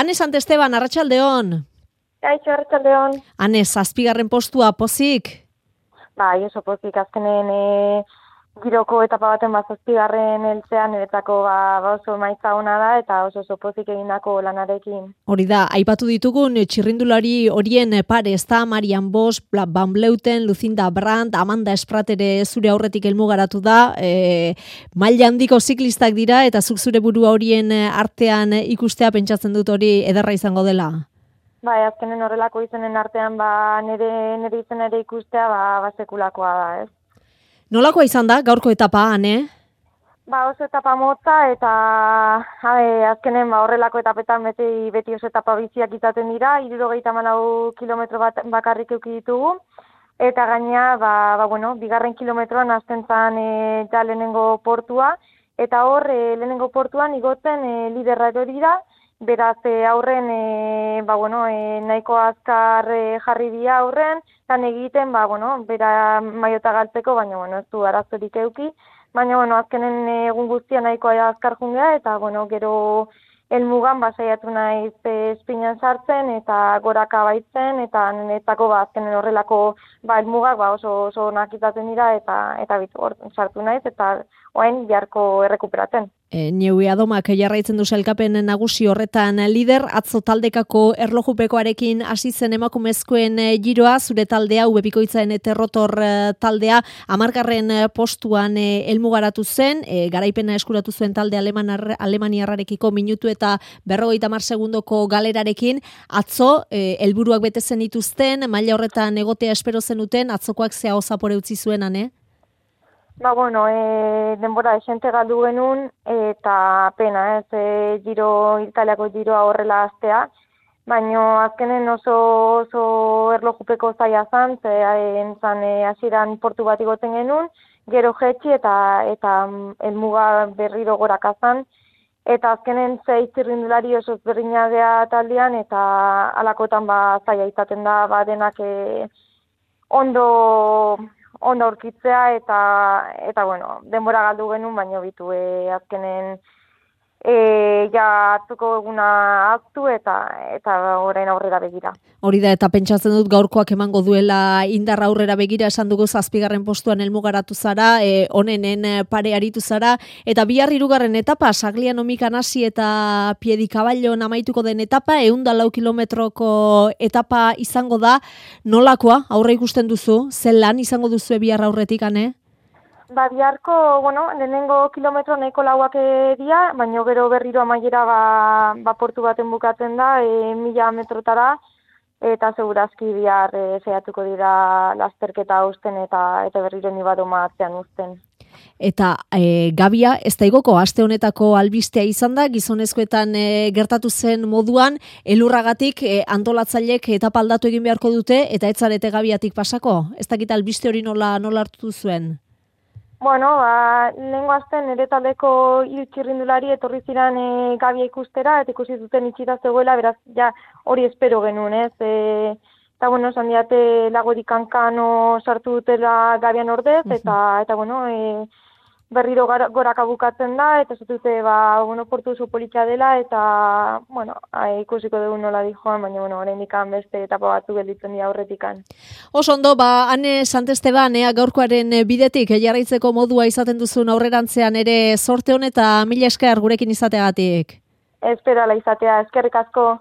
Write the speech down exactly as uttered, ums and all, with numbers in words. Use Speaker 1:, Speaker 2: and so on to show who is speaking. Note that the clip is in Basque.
Speaker 1: Ane Sant Esteban, arratsaldeon.
Speaker 2: Kaixo, arratsaldeon.
Speaker 1: Ane, zazpigarren postua, pozik?
Speaker 2: Bai, oso pozik, azkenen e, giroko etapa baten bat zazpigarren heltzean niretzako ba, ba oso emaitza ona da eta oso oso pozik egindako lanarekin.
Speaker 1: Hori da, aipatu ditugun txirrindulari horien pare, ez da Marian Bosch, Van Vleuten, Lucinda Brandt, Amanda Esprat ere zure aurretik helmugaratu da, e, maila handiko ziklistak dira eta zuk zure burua horien artean ikustea pentsatzen dut hori ederra izango dela.
Speaker 2: Bai, azkenen horrelako izenen artean ba nire nire izena ere ikustea ba, ba sekulakoa da, ez?
Speaker 1: Nolakoa izan da gaurko etapa, Ane?
Speaker 2: Ba, oso etapa motza eta habe, azkenen ba horrelako etapetan beti beti oso etapa biziak izaten dira, hirurogeita hamalau kilometro bat bakarrik eduki ditugu. Eta gaina ba, ba bueno, bigarren kilometroan hasten zen e, ja lehenengo portua eta hor e, lehenengo portuan igotzen e, liderra erori da. Beraz, e, aurren, e, ba, bueno, e, nahiko azkar e, jarri dira aurren, lan egiten, ba, bueno, bera maiota galtzeko, baina, bueno, ez du arazorik euki, baina, bueno, azkenen egun guztia nahiko azkar jungea, eta, bueno, gero helmugan ba saiatu naiz espinan sartzen, eta goraka baitzen, eta netako, ba, azkenen horrelako, ba, helmugak, ba, oso, oso onak izaten dira, eta, eta bitu hor sartu naiz, eta orain biharko errekuperatzen.
Speaker 1: E, Neue Adomak jarraitzen du sailkapen nagusi horretan lider, atzo taldekako erlojupekoarekin hasi zen emakumezkoen giroa, zure taldea, ubebikoitzaren eterrotor taldea, hamargarren postuan helmugaratu zen, e, garaipena eskuratu zuen talde Aleman, alemaniarrarekiko minutu eta berrogeita hamar segundoko galerarekin, atzo e, helburuak bete zen dituzten, maila horretan egotea espero zenuten, atzokoak zea osapore utzi zuen, Ane?
Speaker 2: Ba, bueno, e, denbora esente galdu genuen, eta pena, ez, e, giro, italiako giroa horrela astea, baina azkenen oso, oso erlojupeko zaila zan, ze entzan e, hasieran portu bat igoten genuen, gero jetxi eta eta helmuga berriro goraka zan, eta azkenen zei txirrindulari oso ezberdinadea taldean, eta alakotan ba zaila izaten da, ba denak e, ondo... ondo aurkitzea eta eta bueno, denbora galdu genuen, baino bitu e, azkenen e, ja atzuko eguna aztu eta eta orain aurrera begira.
Speaker 1: Hori da, eta pentsatzen dut gaurkoak emango duela indarra aurrera begira, esan dugu zazpigarren postuan helmugaratu zara, e, onenen pare aritu zara, eta bihar hirugarren etapa, Saglian omikan hasi eta Piedikaballon amaituko den etapa, ehun eta lau kilometroko etapa izango da, nolakoa aurre ikusten duzu, zen lan izango duzu bihar aurretik, Ane?
Speaker 2: Ba, biharko, bueno, lehenengo kilometro nahiko lauak dira, baina gero berriro amaiera ba, ba portu baten bukatzen da, e, mila metrotara, eta segurazki bihar e, zehatuko dira lasterketa uzten eta eta berriro ni badoma atzean uzten.
Speaker 1: Eta e, Gabia, ez da igoko, aste honetako albistea izan da, gizonezkoetan e, gertatu zen moduan, elurragatik e, antolatzailek etapa aldatu egin beharko dute, eta ez zarete Gabiatik pasako? Ez dakit albiste hori nola, nola hartu zuen?
Speaker 2: Bueno, ba, lehengo azten nire taldeko hil txirrindulari etorri ziren e, Gabia ikustera, eta ikusi zuten itxita zegoela, beraz, ja, hori espero genuen, ez? E, eta, bueno, esan diate Lagorik Kankano sartu dutela Gabian ordez, eta, eta bueno, e, berriro goraka bukatzen da, eta zutute, ba, bueno, portu oso politxa dela, eta, bueno, a, ikusiko dugu nola dijoan, baina, bueno, oraindik beste etapa batzu gelditzen dira aurretikan.
Speaker 1: Oso ondo, ba, Ane Sant Esteban, ea gaurkoaren bidetik, jarraitzeko modua izaten duzun aurrerantzean ere sorte hon eta mila esker gurekin izateagatik.
Speaker 2: Espero ala izatea, eskerrik asko.